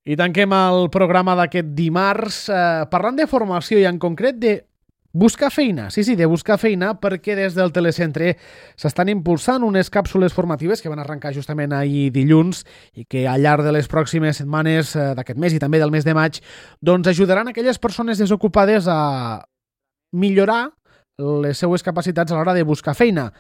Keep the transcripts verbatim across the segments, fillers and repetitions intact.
I tanquem el programa d'aquest dimarts eh, parlant de formació i en concret de buscar feina. Sí, sí, de buscar feina, perquè des del telecentre s'estan impulsant unes càpsules formatives que van arrencar justament ahir dilluns i que al llarg de les pròximes setmanes eh, d'aquest mes i també del mes de maig doncs ajudaran aquelles persones desocupades a millorar les seues capacitats a l'hora de buscar feina.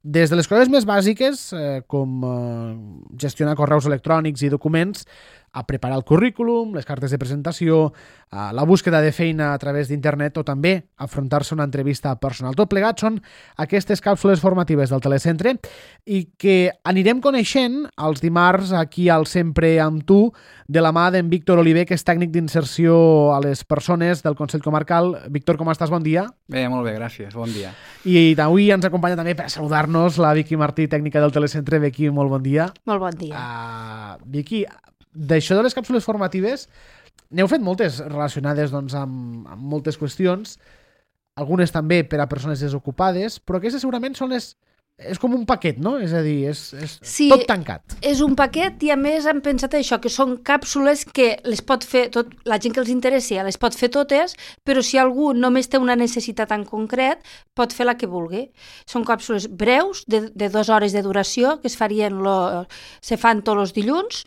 Des de les coses més bàsiques, eh, com eh, gestionar correus electrònics i documents, a preparar el currículum, les cartes de presentació, a la búsqueda de feina a través d'internet o també afrontar-se una entrevista personal. Tot plegat són aquestes càpsules formatives del telecentre i que anirem coneixent els dimarts aquí al Sempre amb tu de la mà d'en Víctor Oliver, que és tècnic d'inserció a les persones del Consell Comarcal. Víctor, com estàs? Bon dia. Bé, molt bé, gràcies. Bon dia. I avui ens acompanya també per saludar-nos la Vicky Martí, tècnica del telecentre. Vicky, molt bon dia. Molt bon dia. Uh, Vicky, d'això de les càpsules formatives, n'heu fet moltes relacionades doncs, amb, amb moltes qüestions, algunes també per a persones desocupades, però aquestes segurament són les... És com un paquet, no? És a dir, és, és sí, tot tancat. És un paquet i a més hem pensat això, que són càpsules que les pot fer tot, la gent que els interessi les pot fer totes, però si algú només té una necessitat en concret, pot fer la que vulgui. Són càpsules breus, de, de dues hores de duració, que es farien lo, se fan tots els dilluns,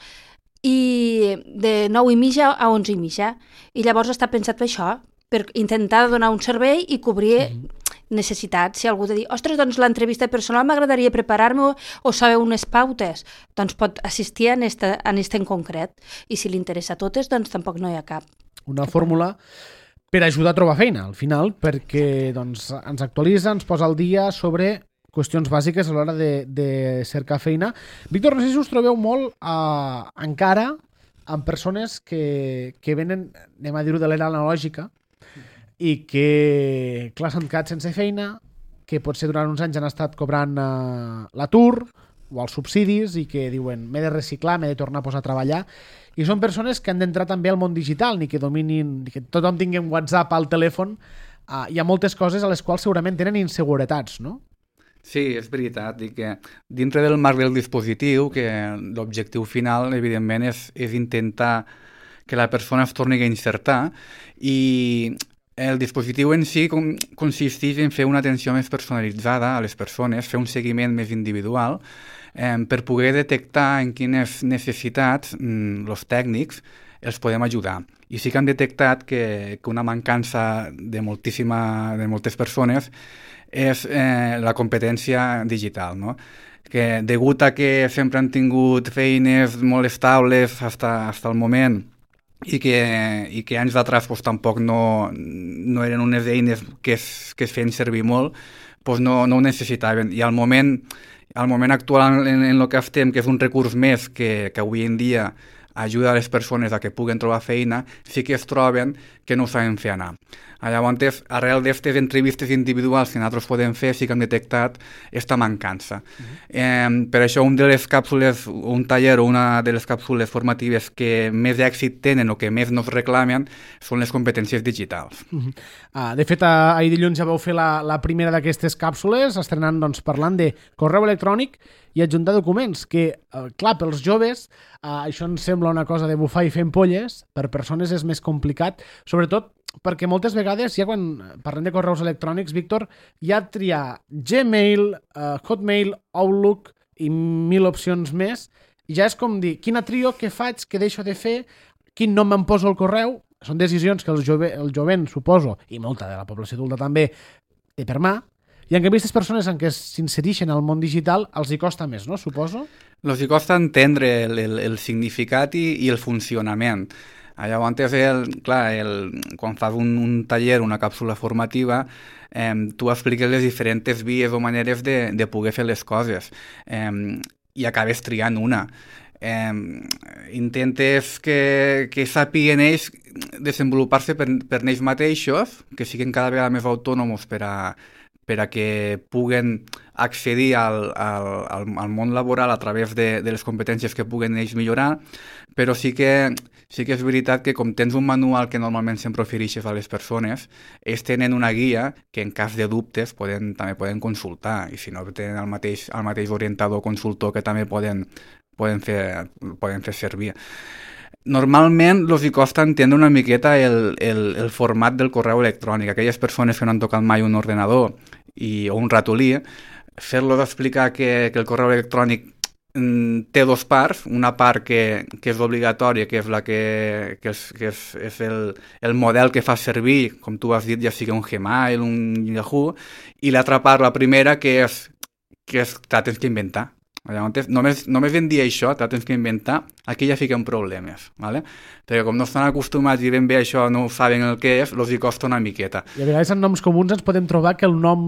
i de nou i mitja a onze i mitja. I llavors està pensat per això, per intentar donar un servei i cobrir mm-hmm. necessitats. Si algú de dir, ostres, doncs l'entrevista personal m'agradaria preparar-me o, o saber unes pautes, doncs pot assistir en esta, en esta en concret. I si li interessa a totes, doncs tampoc no hi ha cap. Una fórmula per ajudar a trobar feina, al final, perquè doncs, ens actualitza, ens posa al dia sobre qüestions bàsiques a l'hora de, de cercar feina. Víctor, no sé si us trobeu molt eh, encara amb persones que, que venen, anem a dir-ho de l'era analògica, i que, clar, s'han quedat sense feina, que potser durant uns anys han estat cobrant eh, l'atur o els subsidis i que diuen m'he de reciclar, m'he de tornar a posar a treballar. I són persones que han d'entrar també al món digital, ni que dominin, ni que tothom tingui un WhatsApp al telèfon. Eh, hi ha moltes coses a les quals segurament tenen inseguretats, no? Sí, és veritat, i que dintre del marc del dispositiu, que l'objectiu final, evidentment, és, és intentar que la persona es torni a insertar, i el dispositiu en si com, consisteix en fer una atenció més personalitzada a les persones, fer un seguiment més individual, eh, per poder detectar en quines necessitats mm, els tècnics els podem ajudar. I sí que hem detectat que, que una mancança de, moltíssima, de moltes persones és eh, la competència digital, no? Que degut a que sempre han tingut feines molt estables fins fins al moment i que, i que anys d'atrás pues, tampoc no, no eren unes eines que es, que es feien servir molt, pues no, no ho necessitaven. I al moment, al moment actual en, en el que estem, que és un recurs més que, que avui en dia ajuda a les persones a que puguen trobar feina, sí que es troben que no ho saben fer anar. Llavors, arrel d'aquestes entrevistes individuals que nosaltres podem fer, sí que hem detectat aquesta mancança. Uh-huh. Eh, per això, un de les càpsules, un taller o una de les càpsules formatives que més èxit tenen o que més nos reclamen són les competències digitals. Uh-huh. Ah, de fet, ahir dilluns ja vau fer la, la primera d'aquestes càpsules, estrenant doncs, parlant de correu electrònic i adjuntar documents, que, eh, clar, pels joves, eh, això ens sembla una cosa de bufar i fer ampolles, per persones és més complicat, sobretot perquè moltes vegades, ja quan parlem de correus electrònics, Víctor, hi ha triar Gmail, uh, Hotmail, Outlook i mil opcions més, i ja és com dir, quina trio, què faig, què deixo de fer, quin nom em poso al correu. Són decisions que el, jove, el jovent, suposo, i molta de la població adulta també, té per mà, i en canvi aquestes persones en què s'insereixen al món digital els hi costa més, no? Suposo? Els hi costa entendre el, el, el significat i, i el funcionament. Llavors, el, clar, el, quan fas un, un taller, una càpsula formativa, eh, tu expliques les diferents vies o maneres de, de poder fer les coses eh, i acabes triant una. Eh, intentes que, que sàpiguen ells desenvolupar-se per, per ells mateixos, que siguin cada vegada més autònoms per a, per a que puguen accedir al, al, al, al món laboral a través de, de les competències que puguen ells millorar, però sí que, sí que és veritat que com tens un manual que normalment sempre ofereixes a les persones, ells tenen una guia que en cas de dubtes poden, també poden consultar, i si no tenen el mateix, el mateix orientador o consultor que també poden, poden, fer, poden fer servir. normalment els hi costa entendre una miqueta el, el, el format del correu electrònic. Aquelles persones que no han tocat mai un ordenador i, o un ratolí, fer-los explicar que, que el correu electrònic mm, té dos parts, una part que, que és obligatòria, que és la que, que, és, que és, és el, el model que fa servir, com tu has dit, ja sigui un Gmail, un Yahoo, i l'altra part, la primera, que és que és, te la tens que inventar. Llavors, només, només en dir això, te la tens que inventar, aquí ja fiquen problemes, ¿vale? Perquè com no estan acostumats i ben bé això no saben el que és, els hi costa una miqueta. I a vegades en noms comuns ens podem trobar que el nom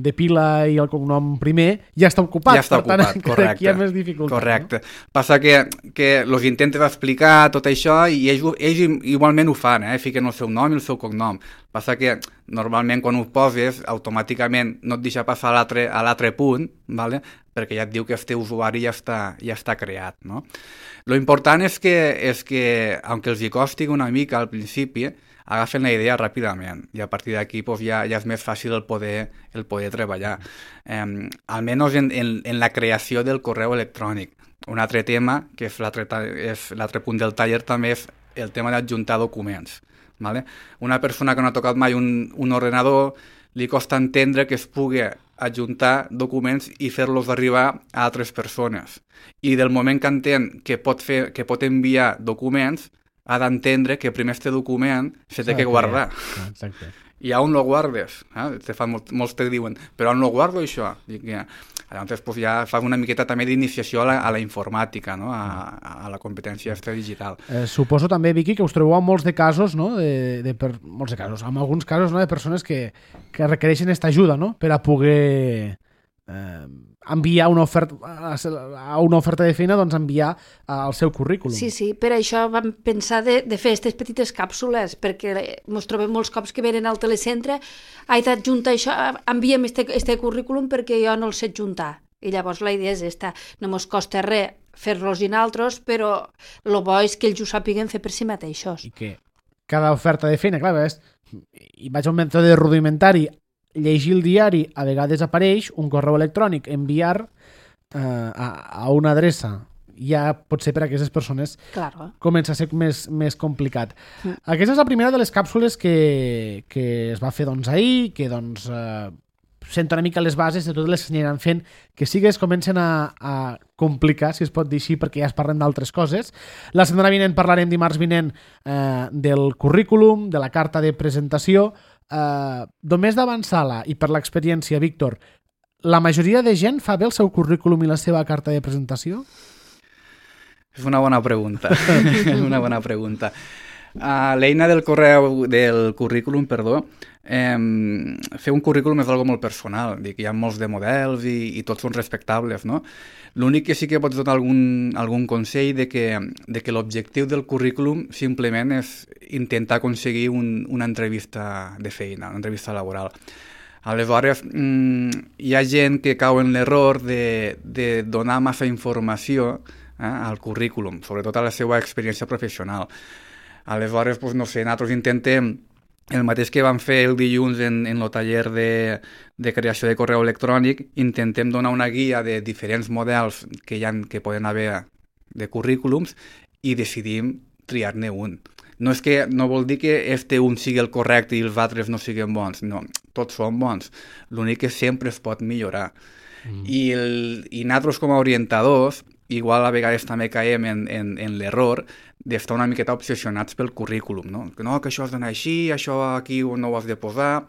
de pila i el cognom primer ja està ocupat, ja està per tant, ocupat, correcte, aquí hi ha més dificultat. Correcte. No? Passa que, que els intentes explicar tot això i ells, ells igualment ho fan, eh? Fiquen el seu nom i el seu cognom. Passa que normalment quan ho poses automàticament no et deixa passar a l'altre a l'altre punt, ¿vale? Perquè ja et diu que el teu usuari ja està, ja està creat, no? Lo important és que, és que, aunque els hi costi una mica al principi, agafen la idea ràpidament i a partir d'aquí pues, ja, ja és més fàcil el poder, el poder treballar. Eh, almenys en, en, en la creació del correu electrònic. Un altre tema, que és l'altre punt del taller, també és el tema d'adjuntar documents. ¿Vale? Una persona que no ha tocat mai un, un ordenador li costa entendre que es pugui adjuntar documents i fer-los arribar a altres persones. I del moment que entén que pot, fer, que pot enviar documents, ha d'entendre que primer este document se té que guardar. Exacte. I on lo guardes? Eh? Te fan molt, molts te diuen, però on lo guardo això? I que, llavors pues, ja fas una miqueta també d'iniciació a, la, a la informàtica, no? a, a la competència extra digital. Eh, suposo també, Vicky, que us trobeu en molts de casos, no? de, de per, molts de casos, en alguns casos no? de persones que, que requereixen aquesta ajuda, no? Per a poder eh, enviar una oferta, a una oferta de feina, doncs enviar el seu currículum. Sí, sí, per això vam pensar de, de fer aquestes petites càpsules, perquè ens trobem molts cops que venen al telecentre, he d'adjuntar això, envia'm este, este currículum perquè jo no el sé adjuntar. I llavors la idea és esta, no ens costa res fer-los i altres, però el bo és que ells ho sàpiguen fer per si mateixos. I que cada oferta de feina, clar, és, i vaig a un mètode rudimentari, llegir el diari, a vegades apareix un correu electrònic, enviar eh, a, a una adreça. Ja pot ser per a aquestes persones claro. Comença a ser més, més complicat. Mm. Aquesta és la primera de les càpsules que, que es va fer doncs, ahir, que doncs, eh, sento una mica les bases de totes les que aniran fent, que sí que es comencen a, a complicar, si es pot dir així, perquè ja es parlen d'altres coses. La setmana vinent parlarem dimarts vinent eh, del currículum, de la carta de presentació. Uh, només d'avançar-la i per l'experiència, Víctor, la majoria de gent fa bé el seu currículum i la seva carta de presentació? És una bona pregunta. És una bona pregunta. Uh, l'eina del correu, del currículum, perdó, eh, fer un currículum és algo molt personal, dic, hi ha molts de models i, i tots són respectables, no? L'únic que sí que pots donar algun, algun consell de que, de que l'objectiu del currículum simplement és intentar aconseguir un, una entrevista de feina, una entrevista laboral. Aleshores, mmm, hi ha gent que cau en l'error de, de donar massa informació eh, al currículum, sobretot a la seva experiència professional. Aleshores, doncs, no sé, nosaltres intentem el mateix que vam fer el dilluns en, en el taller de, de creació de correu electrònic, intentem donar una guia de diferents models que, hi ha, que poden haver de currículums i decidim triar-ne un. No és que no vol dir que este un sigui el correcte i els altres no siguin bons, no, tots són bons. L'únic que sempre es pot millorar. Mm. I, el, i nosaltres com a orientadors, igual a vegades també caiem en, en, en l'error d'estar una miqueta obsessionats pel currículum, no? Que no, que això has d'anar així, això aquí no ho has de posar,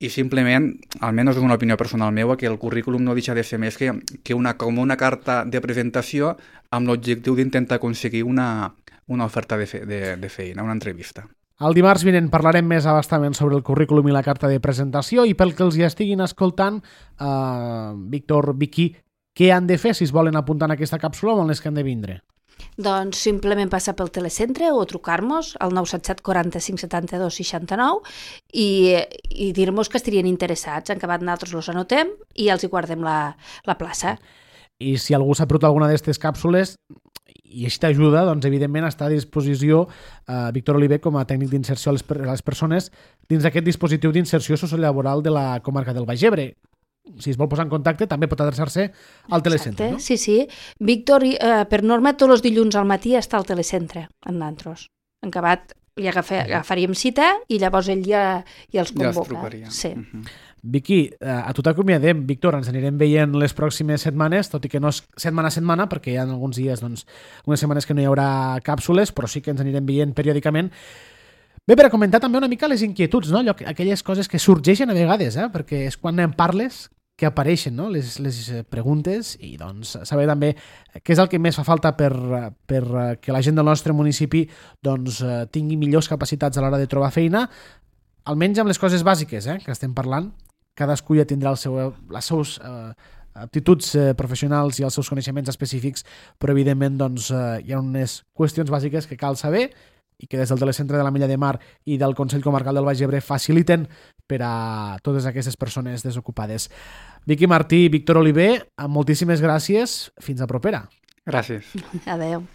i simplement, almenys és una opinió personal meva, que el currículum no deixa de ser més que, que una, com una carta de presentació amb l'objectiu d'intentar aconseguir una, una oferta de, fe, de, de feina, una entrevista. El dimarts vinent parlarem més abastament sobre el currículum i la carta de presentació, i pel que els hi estiguin escoltant, uh, Víctor, Vicky, què han de fer si es volen apuntar en aquesta càpsula o en les que han de vindre? Doncs simplement passar pel telecentre o trucar-nos al nou set set quaranta-cinc setanta-dos seixanta-nou i, i dir-nos que estarien interessats. En acabat nosaltres els anotem i els hi guardem la, la plaça. I si algú s'ha perdut alguna d'aquestes càpsules i així t'ajuda, doncs evidentment està a disposició eh, Víctor Oliver com a tècnic d'inserció a les, a les persones dins d'aquest dispositiu d'inserció sociolaboral de la comarca del Baix Ebre. si es vol posar en contacte, també pot adreçar-se al telecentre, no? Sí, sí. Víctor, eh, per norma, tots els dilluns al matí està al telecentre, en nantros. En acabat, li agafa, agafaríem cita i llavors ell ja, ja els convoca. Ja els trucaria. Sí. Uh-huh. Vicky, a tu t'acomiadem. Víctor, ens anirem veient les pròximes setmanes, tot i que no és setmana a setmana, perquè hi ha alguns dies, doncs, unes setmanes que no hi haurà càpsules, però sí que ens anirem veient periòdicament. Bé, per a comentar també una mica les inquietuds, no? Allò, aquelles coses que sorgeixen a vegades, eh? Perquè és quan en parles que apareixen, no? les, les preguntes i doncs saber també què és el que més fa falta per, per que la gent del nostre municipi doncs, tingui millors capacitats a l'hora de trobar feina, almenys amb les coses bàsiques eh? que estem parlant. Cadascú ja tindrà el seu, les seus eh, aptituds eh, professionals i els seus coneixements específics, però evidentment doncs, eh, hi ha unes qüestions bàsiques que cal saber i que des del Telecentre de la Mella de Mar i del Consell Comarcal del Baix Ebre faciliten per a totes aquestes persones desocupades. Vicky Martí i Víctor Oliver, moltíssimes gràcies. Fins a propera. Gràcies. Adéu.